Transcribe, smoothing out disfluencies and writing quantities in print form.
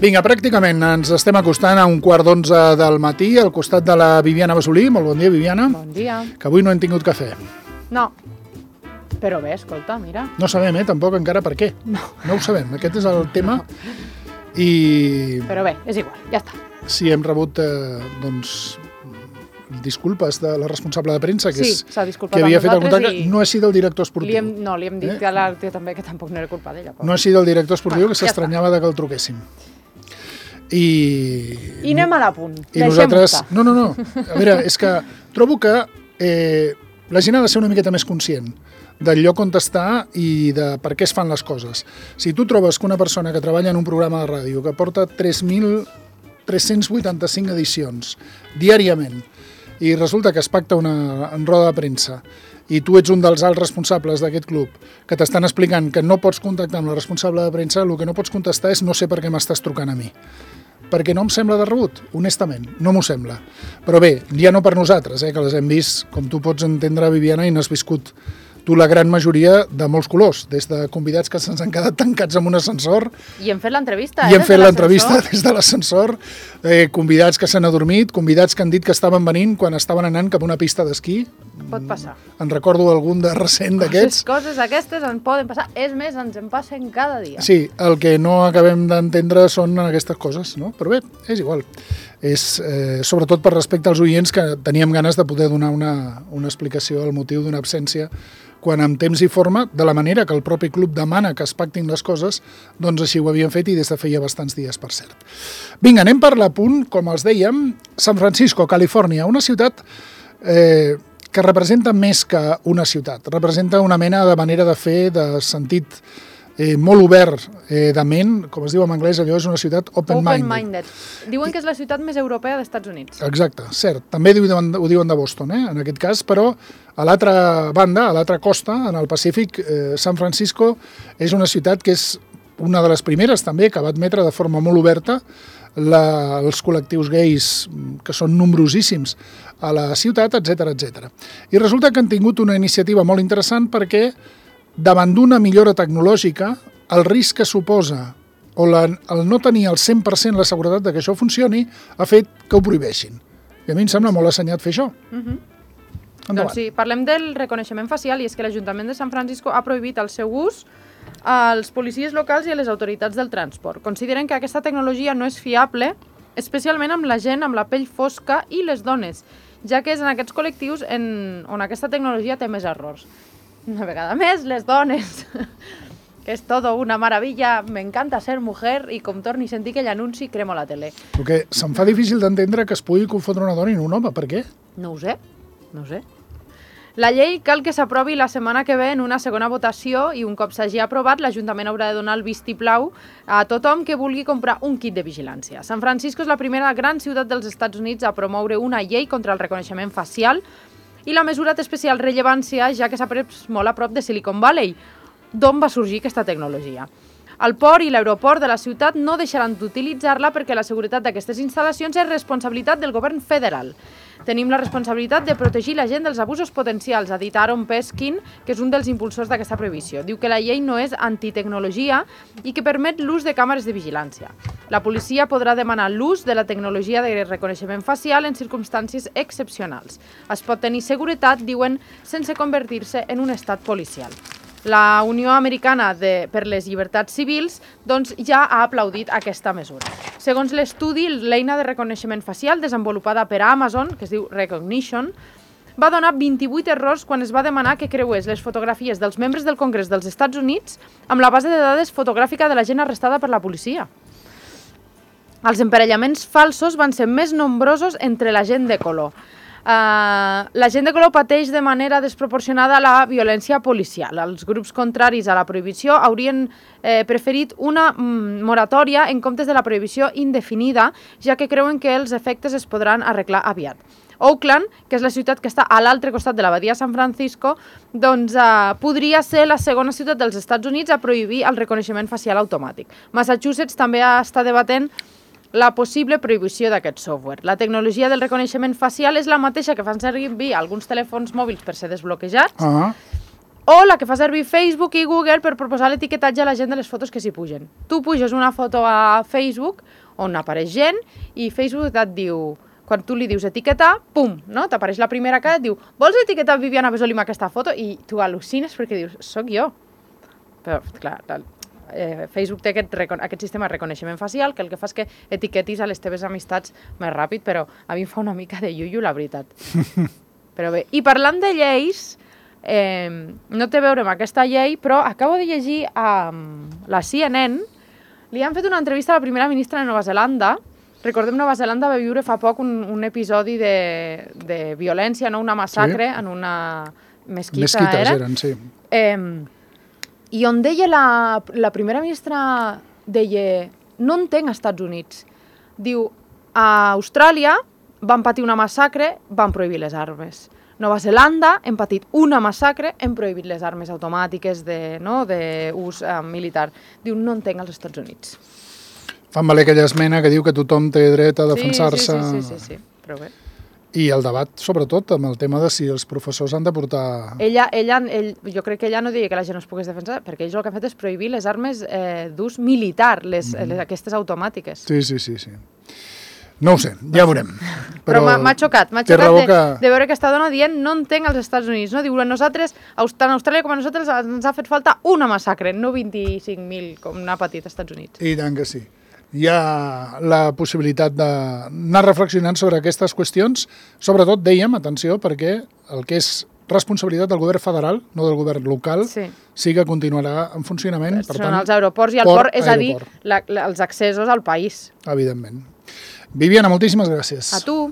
Vinga, pràcticament ens estem acostant a 11:15 del matí al costat de la Viviana Basolí. Molt bon dia, Viviana. Bon dia. Que avui no hem tingut cafè. No, però bé, escolta, mira. No sabem, tampoc encara per què. No ho sabem, aquest és el tema. I... Però bé, és igual, ja està. Sí, hem rebut, doncs, disculpes de la responsable de premsa, que, sí, s'ha disculpat que havia fet el amb nosaltres contacte. No ha sigut el director esportiu. Li hem dit a l'Artio també que tampoc no era culpa d'ella. No ha sigut el director esportiu, que s'estranyava de que el truquéssim. I anem a l'apunt. I nosaltres... No. A veure, és que trobo que la gent ha de ser una miqueta més conscient del lloc on està i de per què es fan les coses. Si tu trobes que una persona que treballa en un programa de ràdio que porta 3.385 edicions diàriament i resulta que es pacta una roda de premsa i tu ets un dels alts responsables d'aquest club que t'estan explicant que no pots contactar amb la responsable de premsa, el que no pots contestar és no sé per què m'estàs trucant a mi. Perquè no em sembla de rebut, honestament, no m'ho sembla. Però bé, ja no per nosaltres, que les hem vist, com tu pots entendre, Viviana, i n'has viscut tu la gran majoria de molts colors, des de convidats que se'ns han quedat tancats en un ascensor. I hem fet l'entrevista, I hem fet l'entrevista des de l'ascensor, convidats que s'han adormit, convidats que han dit que estaven venint quan estaven anant cap a una pista d'esquí. Pot passar. En recordo algun de recent d'aquests. Coses aquestes en poden passar, és més, ens en passen cada dia. Sí, el que no acabem d'entendre són aquestes coses, no? Però bé, és igual. És sobretot per respecte als oients que teníem ganes de poder donar una explicació al motiu d'una absència quan amb temps i forma, de la manera que el propi club demana que es pactin les coses, doncs així ho havien fet i des de feia bastants dies, per cert. Vinga, anem per l'apunt, com els dèiem, San Francisco, Califòrnia, una ciutat que representa més que una ciutat, representa una mena de manera de fer, de sentit molt obert de ment, com es diu en anglès, allò és una ciutat open-minded. Diuen que és la ciutat més europea dels Estats Units. Exacte, cert. També ho diuen de Boston, en aquest cas, però a l'altra banda, a l'altra costa, en el Pacífic, San Francisco és una ciutat que és una de les primeres també que va admetre de forma molt oberta els col·lectius gais, que són nombrosíssims a la ciutat, etc. I resulta que han tingut una iniciativa molt interessant perquè davant d'una millora tecnològica, el risc que suposa o el no tenir al 100% la seguretat de que això funcioni ha fet que ho prohibeixin. I a mi em sembla molt assenyat fer això. Doncs sí, parlem del reconeixement facial i és que l'Ajuntament de San Francisco ha prohibit el seu ús als policies locals i a les autoritats del transport. Consideren que aquesta tecnologia no és fiable, especialment amb la gent amb la pell fosca i les dones, ja que és en aquests col·lectius on aquesta tecnologia té més errors. Una vegada més, les dones, que és todo una maravilla, m'encanta ser mujer, i com torni a sentir aquell anunci, cremo la tele. Perquè se'm fa difícil d'entendre que es pugui confondre una dona i un home, per què? No ho sé. La llei cal que s'aprovi la setmana que ve en una segona votació i un cop s'hagi aprovat, l'Ajuntament haurà de donar el vistiplau a tothom que vulgui comprar un kit de vigilància. San Francisco és la primera gran ciutat dels Estats Units a promoure una llei contra el reconeixement facial i la mesura té especial rellevància ja que s'ha pres molt a prop de Silicon Valley, d'on va sorgir aquesta tecnologia. El port i l'aeroport de la ciutat no deixaran d'utilitzar-la perquè la seguretat d'aquestes instal·lacions és responsabilitat del govern federal. Tenim la responsabilitat de protegir la gent dels abusos potencials, ha dit Aaron Peskin, que és un dels impulsors d'aquesta prohibició. Diu que la llei no és antitecnologia i que permet l'ús de càmeres de vigilància. La policia podrà demanar l'ús de la tecnologia de reconeixement facial en circumstàncies excepcionals. Es pot tenir seguretat, diuen, sense convertir-se en un estat policial. La Unió Americana per les Llibertats Civils doncs, ja ha aplaudit aquesta mesura. Segons l'estudi, l'eina de reconeixement facial desenvolupada per Amazon, que es diu Recognition, va donar 28 errors quan es va demanar que creués les fotografies dels membres del Congrés dels Estats Units amb la base de dades fotogràfica de la gent arrestada per la policia. Els emparellaments falsos van ser més nombrosos entre la gent de color. La gent de color pateix de manera desproporcionada la violència policial. Els grups contraris a la prohibició haurien preferit una moratòria en comptes de la prohibició indefinida, ja que creuen que els efectes es podran arreglar aviat. Oakland, que és la ciutat que està a l'altre costat de la badia de San Francisco, doncs podria ser la segona ciutat dels Estats Units a prohibir el reconeixement facial automàtic. Massachusetts també està debatent la possible prohibició d'aquest software. La tecnologia del reconeixement facial és la mateixa que fan servir alguns telèfons mòbils per ser desbloquejats o la que fa servir Facebook i Google per proposar l'etiquetatge a la gent de les fotos que s'hi pugen. Tu puges una foto a Facebook on apareix gent i Facebook et diu, quan tu li dius etiquetar, pum, no? T'apareix la primera cara i et diu, vols etiquetar Viviana Besolí amb aquesta foto? I tu al·lucines perquè dius, soc jo. Però, clar, Facebook té aquest sistema de reconeixement facial que el que fa és que etiquetis a les teves amistats més ràpid, però a mi em fa una mica de iuiu, la veritat. Però bé, i parlant de lleis, no té a veure amb aquesta llei, però acabo de llegir a la CNN, li han fet una entrevista a la primera ministra de Nova Zelanda. Recordem, Nova Zelanda va viure fa poc un episodi de violència, no? Una massacre en una mesquita. Mesquites eren, sí. I on deia la primera ministra, deia, no entenc als Estats Units. Diu, a Austràlia van patir una massacre, van prohibir les armes. Nova Zelanda hem patit una massacre, hem prohibit les armes automàtiques d'ús militar. Diu, no entenc als Estats Units. Fan valer aquella esmena que diu que tothom té dret a defensar-se. Sí, però bé. I el debat, sobretot, amb el tema de si els professors han de portar... Jo crec que ella no diria que la gent no es pogués defensar, perquè ells el que han fet és prohibir les armes d'ús militar, aquestes automàtiques. Sí. No ho sé, ja veurem. Però m'ha xocat de veure aquesta dona dient no entenc als Estats Units. No? Diu, nosaltres, tant a Austràlia com a nosaltres, ens ha fet falta una massacre, no 25.000 com n'ha patit als Estats Units. I tant que sí. Hi ha la possibilitat d'anar reflexionant sobre aquestes qüestions. Sobretot, dèiem, atenció, perquè el que és responsabilitat del govern federal, no del govern local, sí que continuarà en funcionament. Són els aeroports i el port, és a dir, els accessos al país. Evidentment. Viviana, moltíssimes gràcies. A tu.